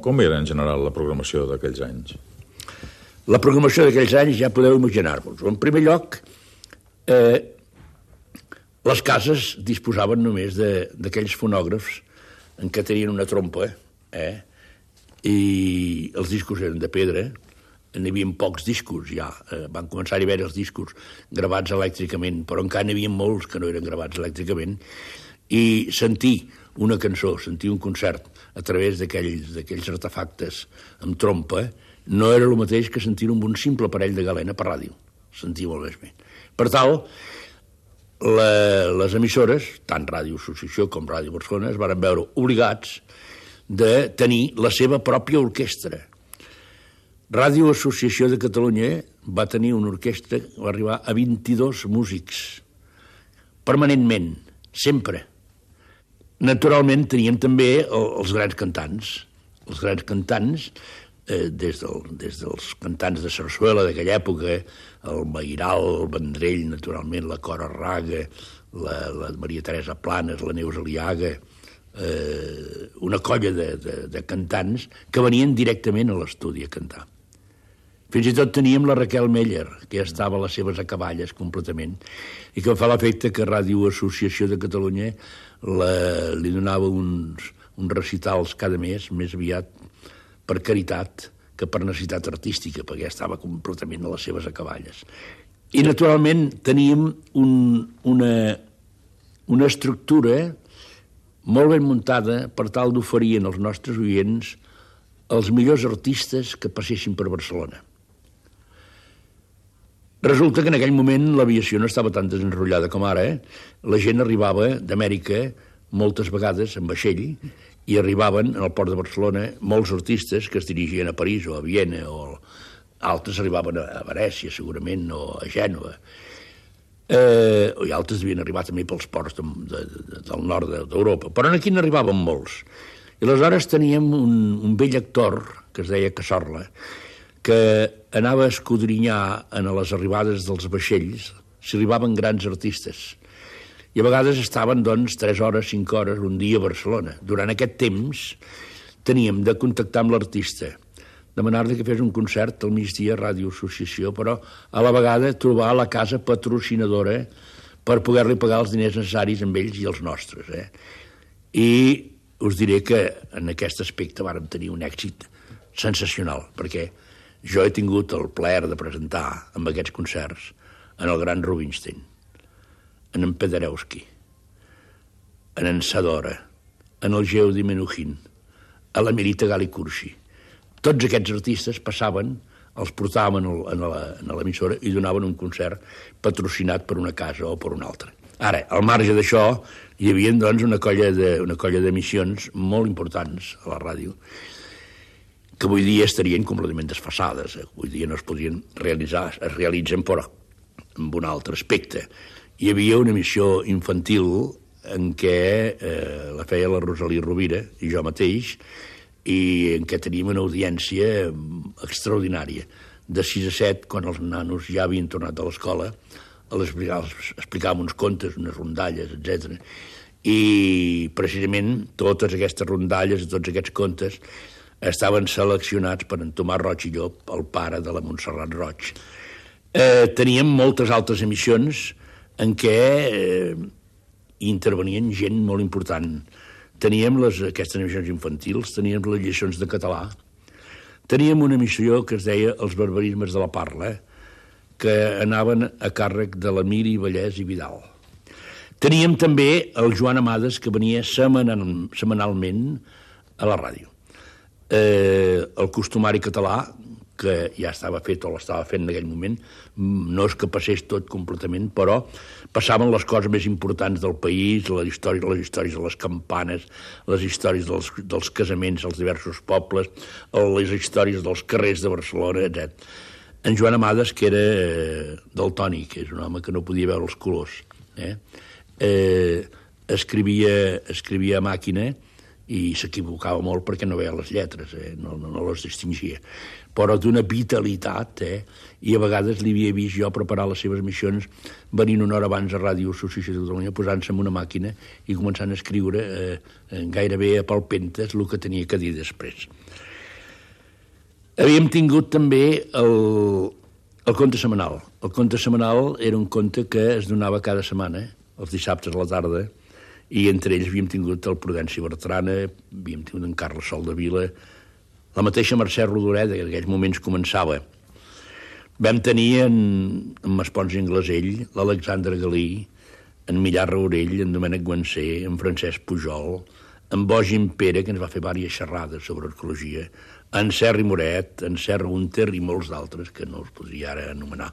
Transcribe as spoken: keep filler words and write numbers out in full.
Com era en general la programació d'aquells anys? La programació d'aquells anys ja podeu imaginar-vos. En primer lloc, eh, les cases disposaven només d'aquells fonògrafs en què tenien una trompa, eh? I els discos eren de pedra, n'hi havia pocs discos ja, eh, van començar a haver els discos gravats elèctricament, però encara n'hi havia molts que no eren gravats elèctricament, i sentir una cançó, sentir un concert a través d'aquells artefactes amb trompa, no era el mateix que sentir-ho amb un simple aparell de galena per ràdio. Sentia molt més bé. Per tal, la, les emissores, tant Ràdio Associació com Ràdio Barcelona, es van veure obligats de tenir la seva pròpia orquestra. Ràdio Associació de Catalunya va tenir una orquestra que va arribar a vint-i-dos músics, permanentment, sempre. Naturalment teníem també els grans cantants, els grans cantants, eh, des, del, des dels cantants de sarsuela d'aquella època, el Mairal, el Vendrell, naturalment, la Cora Raga, la, la Maria Teresa Planes, la Neus Aliaga, eh, una colla de, de, de cantants que venien directament a l'estudi a cantar. Fins i tot teníem la Raquel Meller, que ja estava a les seves acaballes completament, i que fa l'efecte que Ràdio Associació de Catalunya la, li donava uns, uns recitals cada mes, més aviat per caritat que per necessitat artística, perquè ja estava completament a les seves acaballes. I, naturalment, teníem un, una, una estructura molt ben muntada per tal d'oferir als nostres oients els millors artistes que passessin per Barcelona. Resulta que en aquell moment l'aviació no estava tan desenrotllada com ara. Eh? La gent arribava d'Amèrica moltes vegades en vaixell i arribaven al port de Barcelona molts artistes que es dirigien a París o a Viena, o altres arribaven a Venècia, segurament, o a Gènova. Eh, i altres havien arribat també pels ports de, de, de, del nord d'Europa. Però aquí n'arribaven molts. I aleshores teníem un, un vell actor, que es deia Casorla, que anava a escudrinyar en les arribades dels vaixells si arribaven grans artistes. I a vegades estaven, doncs, tres hores, cinc hores, un dia a Barcelona. Durant aquest temps teníem de contactar amb l'artista, demanar-li que fes un concert al migdia a Ràdio Associació, però a la vegada trobar la casa patrocinadora per poder-li pagar els diners necessaris amb ells i els nostres. Eh? I us diré que en aquest aspecte vàrem tenir un èxit sensacional, perquè jo he tingut el plaer de presentar amb aquests concerts en el gran Rubinstein, en en Paderewski, en en Sadora, en el Geudi Menuhin, a la Mirita Gali-Curci. Tots aquests artistes passaven, els portaven a l'emissora i donaven un concert patrocinat per una casa o per una altra. Ara, al marge d'això, hi havia, doncs, una colla de, una colla d'emissions molt importants a la ràdio, que avui dia estarien completament desfasades. Avui dia no es podrien realitzar, es realitzen, però amb un altre aspecte. Hi havia una emissió infantil en què eh, la feia la Rosalía Rovira i jo mateix, i en què teníem una audiència extraordinària. De sis a set, quan els nanos ja havien tornat a l'escola, els explicàvem uns contes, unes rondalles, etcètera. I precisament totes aquestes rondalles, tots aquests contes, estaven seleccionats per en Tomàs Roig i Llop, el pare de la Montserrat Roig. Eh, teníem moltes altres emissions en què eh, intervenien gent molt important. Teníem les, aquestes emissions infantils, teníem les lliçons de català, teníem una emissió que es deia Els barbarismes de la parla, que anaven a càrrec de la Miri Vallès i Vidal. Teníem també el Joan Amades, que venia semanal, setmanalment a la ràdio. Eh, el costumari català, que ja estava fet o l'estava fent en aquell moment, no és que passés tot completament, però passaven les coses més importants del país, les històries, les històries de les campanes, les històries dels, dels casaments als diversos pobles, les històries dels carrers de Barcelona, etcètera. En Joan Amades, que era eh, daltònic, és un home que no podia veure els colors, eh? Eh, escrivia, escrivia a màquina i s'equivocava molt perquè no veia les lletres, eh? no, no, no les distingia. Però d'una vitalitat, eh? I a vegades li havia vist jo preparar les seves missions venint una hora abans a Ràdio Associació de Catalunya, posant-se en una màquina i començant a escriure eh, gairebé a palpentes el que tenia que dir després. Havíem tingut també el, el conte setmanal. El conte setmanal era un conte que es donava cada setmana, els dissabtes a la tarda, i entre ells havíem tingut el Prudenci Bertrana, havíem tingut en Carles Soldevila, la mateixa Mercè Rodoreda, que en aquells moments començava. Vam tenir en, en Maspons i Anglesell, l'Alexandre Galí, en Millà Raurell, en Domènec Guansé, en Francesc Pujol, en Bogin Pere, que ens va fer diverses xerrades sobre arqueologia, en Serri Moret, en Serra Unter i molts d'altres que no els podria ara anomenar.